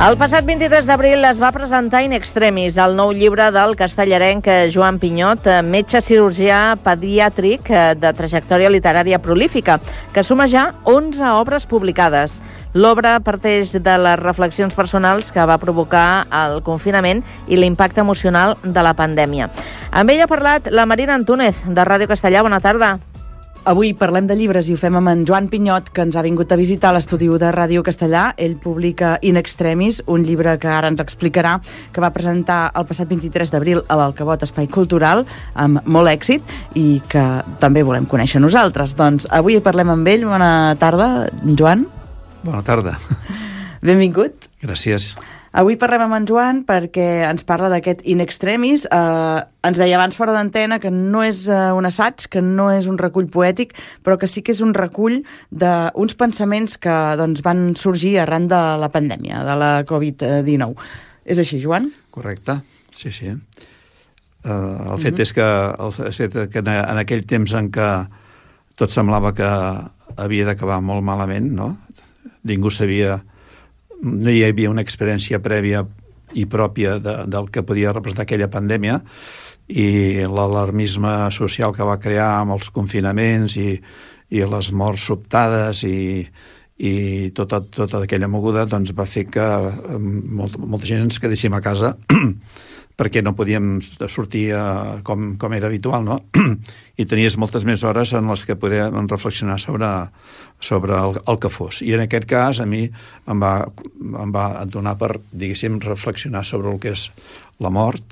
El passat 23 d'abril es va presentar In Extremis, el nou llibre del castellarenc Joan Pinyot, metge cirurgià pediàtric de trajectòria literària prolífica, que suma ja 11 obres publicades. L'obra parteix de les reflexions personals que va provocar el confinament i l'impacte emocional de la pandèmia. Amb ell ha parlat la Marina Antúnez, de Ràdio Castellà. Bona tarda. Avui parlem de llibres i ho fem amb en Joan Pinyot, que ens ha vingut a visitar a l'estudi de Ràdio Castellà. Ell publica In Extremis, un llibre que ara ens explicarà, que va presentar el passat 23 d'abril a l'Alcavot Espai Cultural, amb molt èxit, i que també volem conèixer nosaltres. Doncs avui parlem amb ell. Bona tarda, Joan. Bona tarda. Benvingut. Gràcies. Avui parlem amb en Joan perquè ens parla d'aquest In Extremis. Ens deia abans fora d'antena que no és un assaig, que no és un recull poètic, però que sí que és un recull d'uns pensaments que van sorgir arran de la pandèmia, de la Covid-19. És així, Joan? Correcte, sí. El fet és que en aquell temps en què tot semblava que havia d'acabar molt malament, no? Ningú sabia... No hi havia una experiència prèvia i pròpia del que podia representar aquella pandèmia, i l'alarmisme social que va crear amb els confinaments i les morts sobtades i tota aquella moguda va fer que molta gent ens quedéssim a casa perquè no podíem sortir com era habitual, no? I tenies moltes més hores en les que podíem reflexionar sobre el que fos. I en aquest cas a mi em va donar per, diguéssim, reflexionar sobre el que és la mort.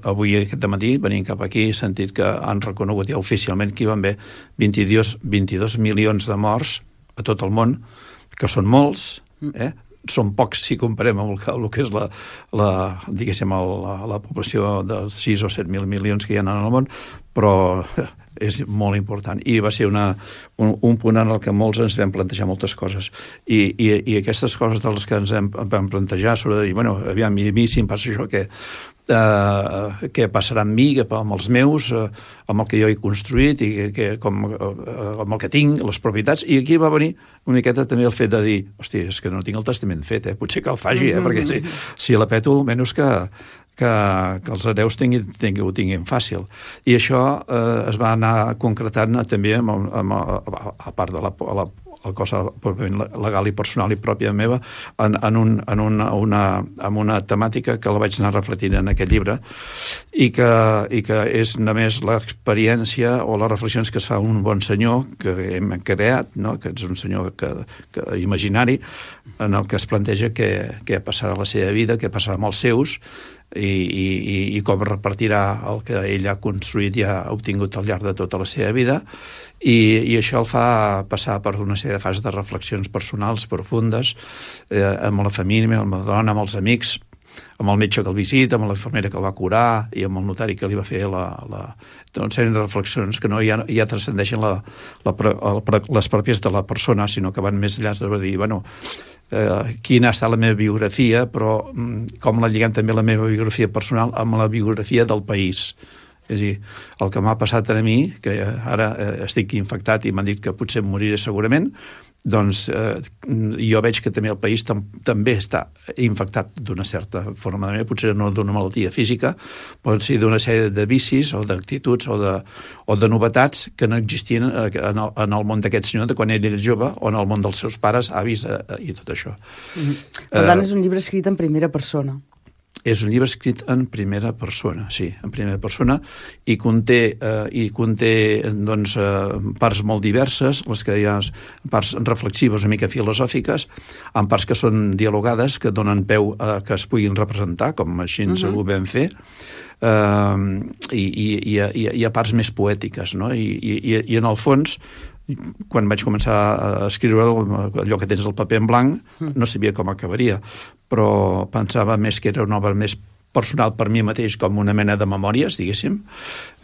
Avui, aquest dematí, venint cap aquí, he sentit que han reconegut ja oficialment que hi van haver 22 milions de morts a tot el món, que són molts, són pocs si comparem amb el que és la població de 6 o 7 mil milions que hi ha en el món, però és molt important. I va ser un punt en el que molts ens vam plantejar moltes coses. I aquestes coses de les que ens vam plantejar sobre dir, bueno, aviam, a mi si em passa això, què passarà amb mi, amb els meus, amb el que jo he construït i amb el que tinc, les propietats. I aquí va venir una miqueta també el fet de dir, hòstia, és que no tinc el testament fet, potser que el faci, perquè si la peto, almenys que els hereus ho tinguin fàcil. I això es va anar concretant també a part de la cosa legal i personal i pròpia meva amb una temàtica que la vaig anar reflectint en aquest llibre i que és només l'experiència o les reflexions que es fa un bon senyor que hem creat, no? Que és un senyor imaginari en el que es planteja què passarà a la seva vida, què passarà amb els seus i com repartirà el que ell ha construït i ha obtingut al llarg de tota la seva vida, i això el fa passar per una sèrie de fases de reflexions personals profundes amb la família, amb la dona, amb els amics, amb el metge que el visita, amb la infermera que el va curar i amb el notari que li va fer una sèrie de reflexions que no ja transcendeixen les pròpies de la persona, sinó que van més enllà de dir, bueno, quina ha estat la meva biografia, però com la lliguem també la meva biografia personal amb la biografia del país. És a dir, el que m'ha passat a mi, que ara estic infectat i m'han dit que potser em moriré segurament, doncs jo veig que també el país també està infectat d'una certa forma de manera, potser no d'una malaltia física, pot ser d'una sèrie de vicis o d'actituds o de novetats que no existien en el món d'aquest senyor de quan ell era jove o en el món dels seus pares, avis i tot això. Per tant, és un llibre escrit en primera persona. És un llibre escrit en primera persona, sí, en primera persona, i conté parts molt diverses, les que hi ha parts reflexives, una mica filosòfiques, amb parts que són dialogades, que donen peu a que es puguin representar, com així ho vam fer, i hi ha parts més poètiques, no? I en el fons, quan vaig començar a escriure allò que tens el paper en blanc, no sabia com acabaria, però pensava més que era una obra més personal per mi mateix, com una mena de memòries, diguéssim,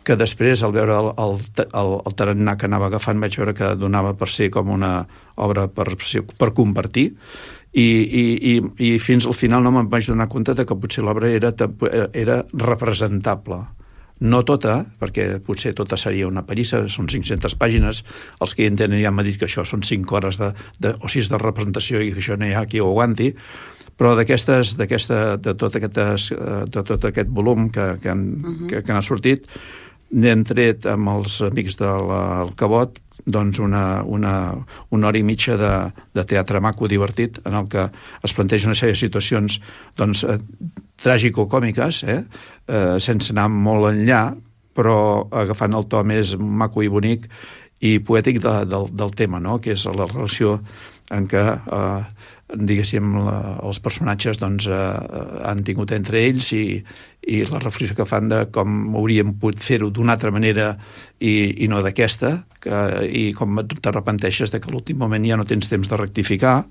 que després, al veure el tarannà que anava agafant, vaig veure que donava per ser com una obra per compartir, i fins al final no me'n vaig donar compte que potser l'obra era representable. No tota, perquè potser tota seria una pallissa, són 500 pàgines, els que hi entenen ja m'han dit que això són 5 hores o 6 de representació i que això no hi ha qui ho aguanti, Però de tot aquest volum que n'ha sortit, n'hem tret amb els amics del Cabot doncs una hora i mitja de teatre maco, divertit, en el que es planteja una sèrie de situacions doncs, tràgico-còmiques, sense anar molt enllà, però agafant el to més maco i bonic i poètic del tema, no? Que és la relació en què diguéssim els personatges doncs, han tingut entre ells i la reflexió que fan de com hauríem pogut fer-ho d'una altra manera i no d'aquesta, i com t'arrepenteixes de que a l'últim moment ja no tens temps de rectificar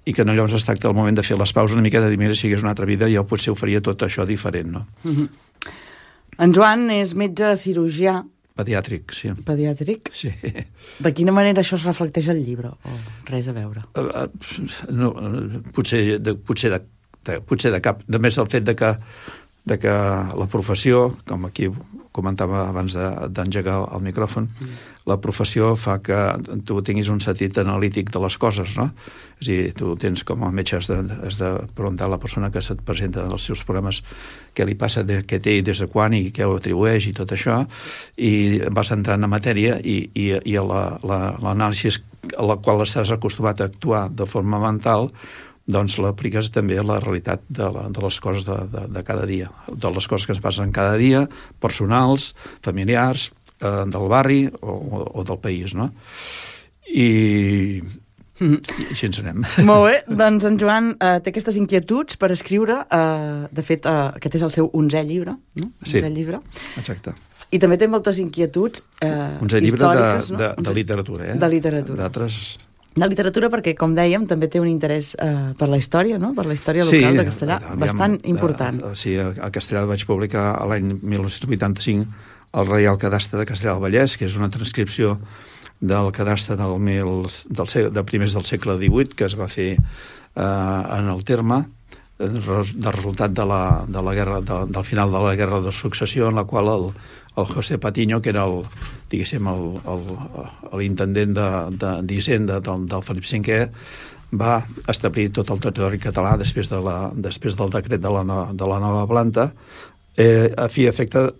i que llavors es tracta el moment de fer les pauses una mica de dir, mira, si hagués una altra vida jo potser ho faria tot això diferent, no? En Joan és metge cirurgià. Pediàtric, sí. Pediàtric? Sí. De quina manera això es reflecteix al llibre? O res a veure? No, potser de cap. Només el fet de que la professió, com aquí comentava abans d'engegar el micròfon, la professió fa que tu tinguis un sentit analític de les coses, no? És a dir, tu tens com a metge has de preguntar a la persona que se't presenta els seus problemes què li passa, què té i des de quan i què ho atribueix i tot això, i vas entrant en matèria i l'anàlisi a la qual estàs acostumat a actuar de forma mental doncs l'apliques també a la realitat de les coses de cada dia, de les coses que es passen cada dia, personals, familiars, del barri o del país, no? I així ens anem. Molt bé, doncs en Joan té aquestes inquietuds per escriure, de fet aquest és el seu 11è llibre, no? Sí, 11è llibre. Exacte. I també té moltes inquietuds històriques, no? De literatura, De literatura. D'altres... De literatura perquè, com dèiem, també té un interès per la història, no? Per la història local de Castellà, bastant important. Sí, a Castellà vaig publicar l'any 1985 el Reial Cadastre de Castellà del Vallès, que és una transcripció del cadastre de primers del segle XVIII, que es va fer en el terme, de resultat del final de la Guerra de Successió, en la qual el José Patiño, que era l'intendent d'Hisenda del Felip V, va establir tot el territori català després del decret de la nova planta a fi i efecte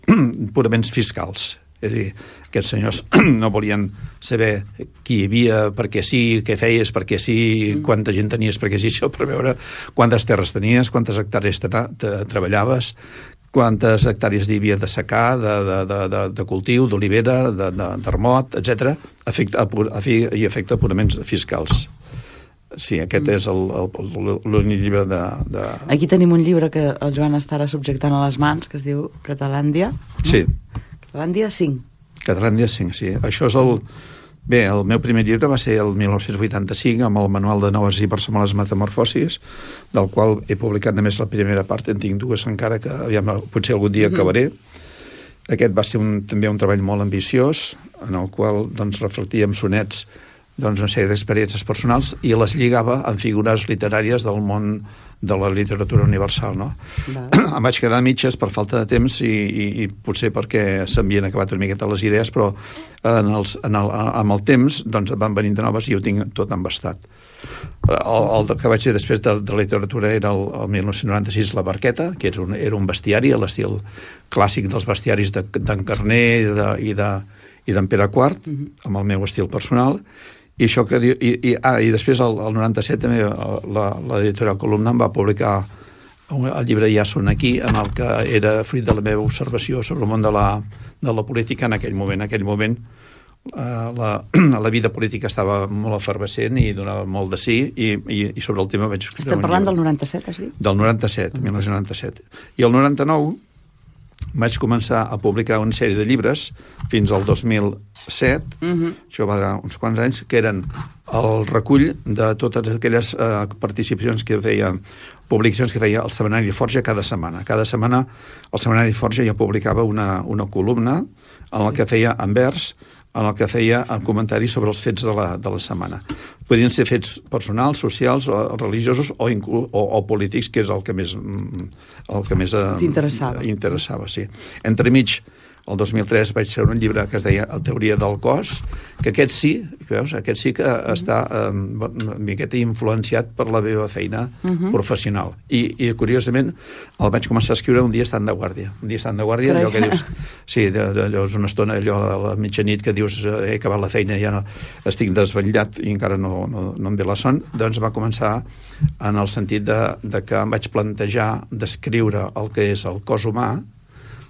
purament fiscals. És a dir, aquests senyors no volien saber qui hi havia, perquè sí, què feies, perquè sí, quanta gent tenies, perquè sí, això per veure quantes terres tenies, quantes hectàrees treballaves, quantes hectàrees hi havia de secà, de cultiu, d'olivera, d'armot, etc., a fi i efecte purament fiscals. Sí, aquest és l'únic llibre de... Aquí tenim un llibre que el Joan estarà subjectant a les mans, que es diu Catalàndia. Sí. Catalàndia 5. Catalàndia 5, sí. Això és Bé, el meu primer llibre va ser el 1985 amb el Manual de noves i personals metamorfosis, del qual he publicat només la primera part, en tinc dues encara que potser algun dia acabaré. Aquest va ser també un treball molt ambiciós, en el qual reflectia amb sonets una sèrie d'experiències personals i les lligava amb figures literàries del món de la literatura universal, no? Em vaig quedar a mitges per falta de temps i potser perquè s'havien acabat una miqueta les idees, però amb el temps van venint de noves i ho tinc tot embastat. El que vaig dir després de literatura era el 1996 La Barqueta, que era un bestiari a l'estil clàssic dels bestiaris d'en Carner i d'en Pere IV, amb el meu estil personal. I després el 97 també l'editorial Columna em va publicar el llibre Ja són aquí, en el que era fruit de la meva observació sobre el món de la política en aquell moment. En aquell moment la vida política estava molt efervescent i donava molt de sí, i sobre el tema vaig escriure un llibre. Estem parlant del 97, has dit? Del 97, 1997. I el 99 vaig començar a publicar una sèrie de llibres fins al 2007, això va durar uns quants anys, que eren el recull de totes aquelles participacions que feia, publicacions que feia el Setmanari Forja cada setmana. Cada setmana el Setmanari Forja ja publicava una columna en la que feia en vers, en el que feia comentaris sobre els fets de la setmana. Podien ser fets personals, socials, o religiosos o polítics, que és el que més t'interessava. Sí. Entremig el 2003 vaig treure un llibre que es deia La teoria del cos, que aquest sí que està una miqueta influenciat per la meva feina professional. I curiosament, el vaig començar a escriure un dia estant de guàrdia. Allò que dius... Sí, allò és una estona, allò a la mitjanit, que dius he acabat la feina, ja no, estic desvetllat i encara no em ve la son. Doncs va començar en el sentit de que em vaig plantejar d'escriure el que és el cos humà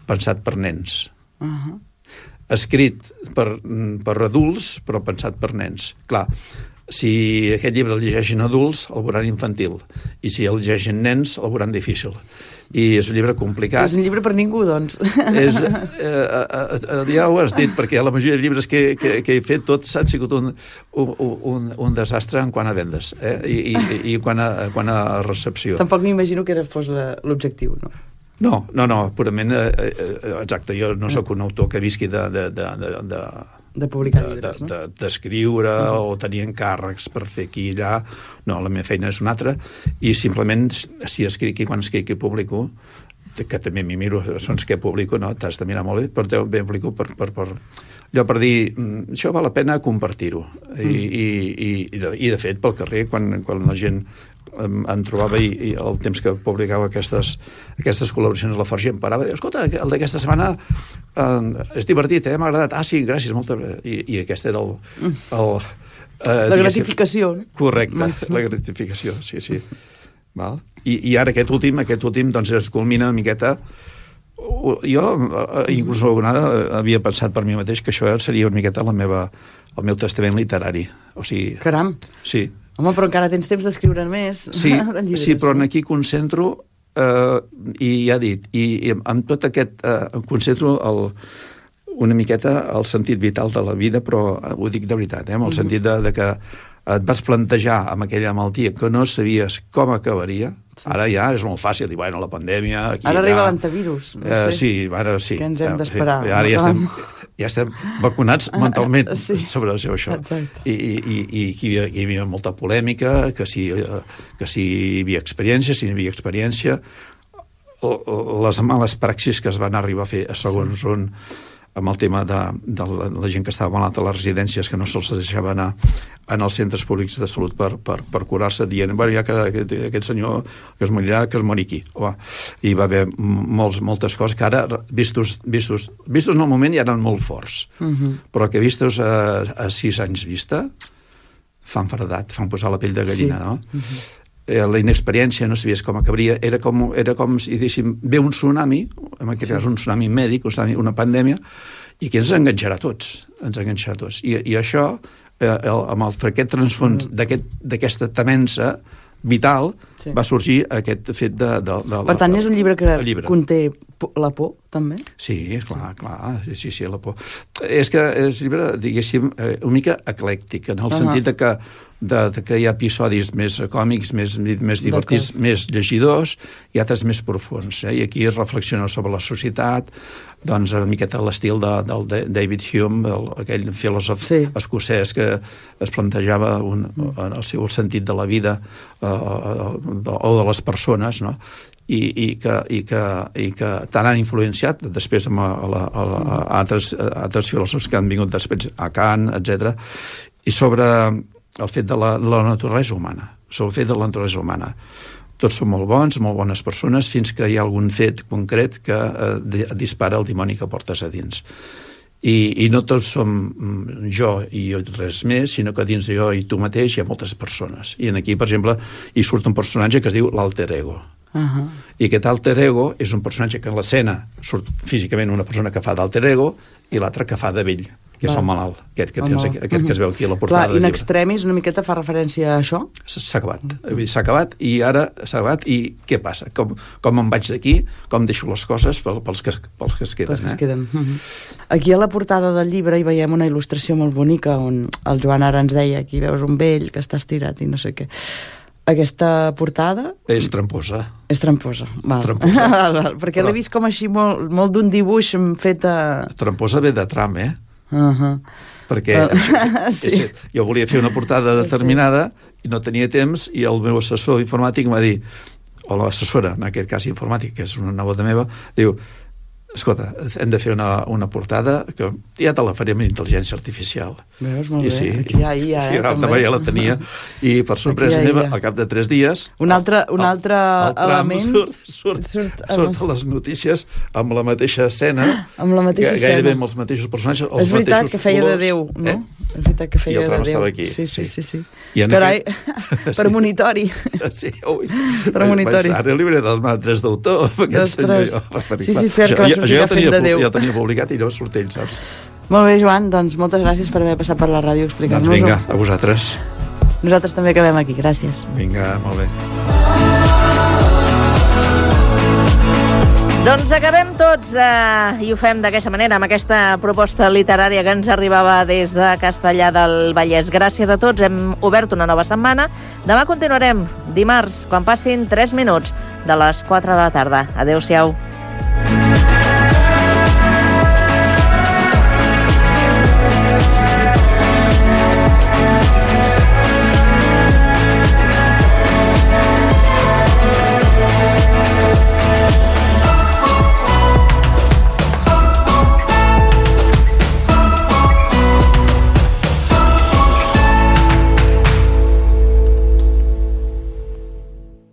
pensat per nens. Escrit per adults, però pensat per nens. Clar, si aquest llibre el llegeixin adults, el veuran infantil, i si el llegeixin nens, el veuran difícil. I és un llibre complicat. És un llibre per ningú, doncs. Ja ho has dit, perquè la majoria de llibres que he fet tots han sigut un desastre en quant a vendes i quant a recepció. Tampoc m'imagino que fos l'objectiu, no? No, purament, exacte, jo no sóc un autor que visqui de publicar llibres, no? D'escriure o tenir encàrrecs per fer aquí i allà. No, la meva feina és una altra, i simplement si escric i quan escric i publico, que també m'hi miro, sons que publico, no? T'has de mirar molt bé, però també publico allò per dir, això val la pena compartir-ho. I de fet, pel carrer, quan la gent em trobava i el temps que publicava aquestes col·laboracions a la Forja em parava i diu, escolta, el d'aquesta setmana és divertit, m'ha agradat. Ah, sí, gràcies, molta... I aquest era la gratificació. Correcte, la gratificació, sí. Val? I ara aquest últim doncs es culmina una miqueta. Jo inclús alguna vegada havia pensat per mi mateix que això seria una miqueta el meu testament literari. O sigui... Caram! Sí. Home, però encara tens temps d'escriure més. Sí, però aquí concentro, i ja he dit, i amb tot aquest concentro una miqueta el sentit vital de la vida, però ho dic de veritat, amb el sentit de que et vas plantejar amb aquella malaltia que no sabies com acabaria. Ara ja és molt fàcil dir, bueno, la pandèmia... Ara arriba l'antivirus. Sí, ara sí. Que ens hem d'esperar. Ara ja estem vacunats mentalment sobre això. Exacte. I hi havia molta polèmica, que si hi havia experiència, si no hi havia experiència, les males praxis que es van arribar a fer a segons on, amb el tema de la gent que estava malalta a les residències, que no se'ls deixava anar en els centres públics de salut per curar-se, dient, bueno, ja que aquest senyor que es morirà, que es mori aquí. I va haver moltes coses que ara, vistos en el moment, ja eren molt forts, però que vistos a 6 anys vista, fan fredat, fan posar la pell de gallina, no? La inexperiència, no sabies com acabaria, era com si diguéssim, ve un tsunami, en aquest cas un tsunami mèdic, una pandèmia, i que ens enganxarà a tots. I això, amb aquest transfons d'aquesta temença vital, va sorgir aquest fet de... Per tant, és un llibre que conté la por, també? Sí, clar, sí, la por. És que és un llibre, diguéssim, una mica eclèctic, en el sentit que hi ha episodis més còmics, més divertits, més llegidors, i altres més profuns. I aquí es reflexiona sobre la societat, doncs una miqueta l'estil del David Hume, aquell filòsof escocès que es plantejava el seu sentit de la vida o de les persones, no? I que tant han influenciat després amb altres filòsofs que han vingut després, a Kant, etc. I sobre el fet de la naturalesa humana. Tots són molt bons, molt bones persones, fins que hi ha algun fet concret que dispara el dimoni que portes a dins. I no tots som jo i res més, sinó que dins de jo i tu mateix hi ha moltes persones. I aquí, per exemple, hi surt un personatge que es diu l'alter ego. I aquest alter ego és un personatge que en l'escena surt físicament una persona que fa d'alter ego i l'altra que fa de vell, que és el malalt, aquest que es veu aquí a la portada del llibre. In extremis una miqueta fa referència a això? S'ha acabat i ara s'ha acabat i què passa? Com em vaig d'aquí? Com deixo les coses pels que es queden? Aquí a la portada del llibre hi veiem una il·lustració molt bonica on el Joan ara ens deia, aquí veus un vell que està estirat i no sé què. Aquesta portada... És tramposa. És tramposa, val. Perquè l'he vist com així molt d'un dibuix fet a... Tramposa ve de tram, perquè jo volia fer una portada determinada i no tenia temps, i el meu assessor informàtic em va dir, o l'assessora, en aquest cas informàtic, que és una nebota meva, diu, Escolta, hem de fer una portada que ja te la farem en intel·ligència artificial. Veus, molt I bé. sí, Aquí hi ha IA, també ja la tenia. I per sorpresa meva, al cap de 3 dies... Un altre element... Surt a les notícies amb la mateixa escena, amb la mateixa escena. Gairebé amb els mateixos personatges, els mateixos colors. És veritat que feia de Déu, no? És veritat que feia de Déu. I el tram estava aquí. Sí. Carai, per monitori. Sí, ui. Per monitori. Ara li hauré de demanar 3 d'autor, aquest senyor. Sí, cert, que va sortir ja fent de Déu. Ja tenia publicat i llavors surt ell, saps? Molt bé, Joan, doncs moltes gràcies per haver passat per la ràdio explicant-nos-ho. Doncs vinga, a vosaltres. Nosaltres també acabem aquí, gràcies. Vinga, molt bé. Doncs acabem tots i ho fem d'aquesta manera, amb aquesta proposta literària que ens arribava des de Castellar del Vallès. Gràcies a tots, hem obert una nova setmana. Demà continuarem, dimarts, quan passin 3 minuts de les 4 de la tarda. Adéu-siau.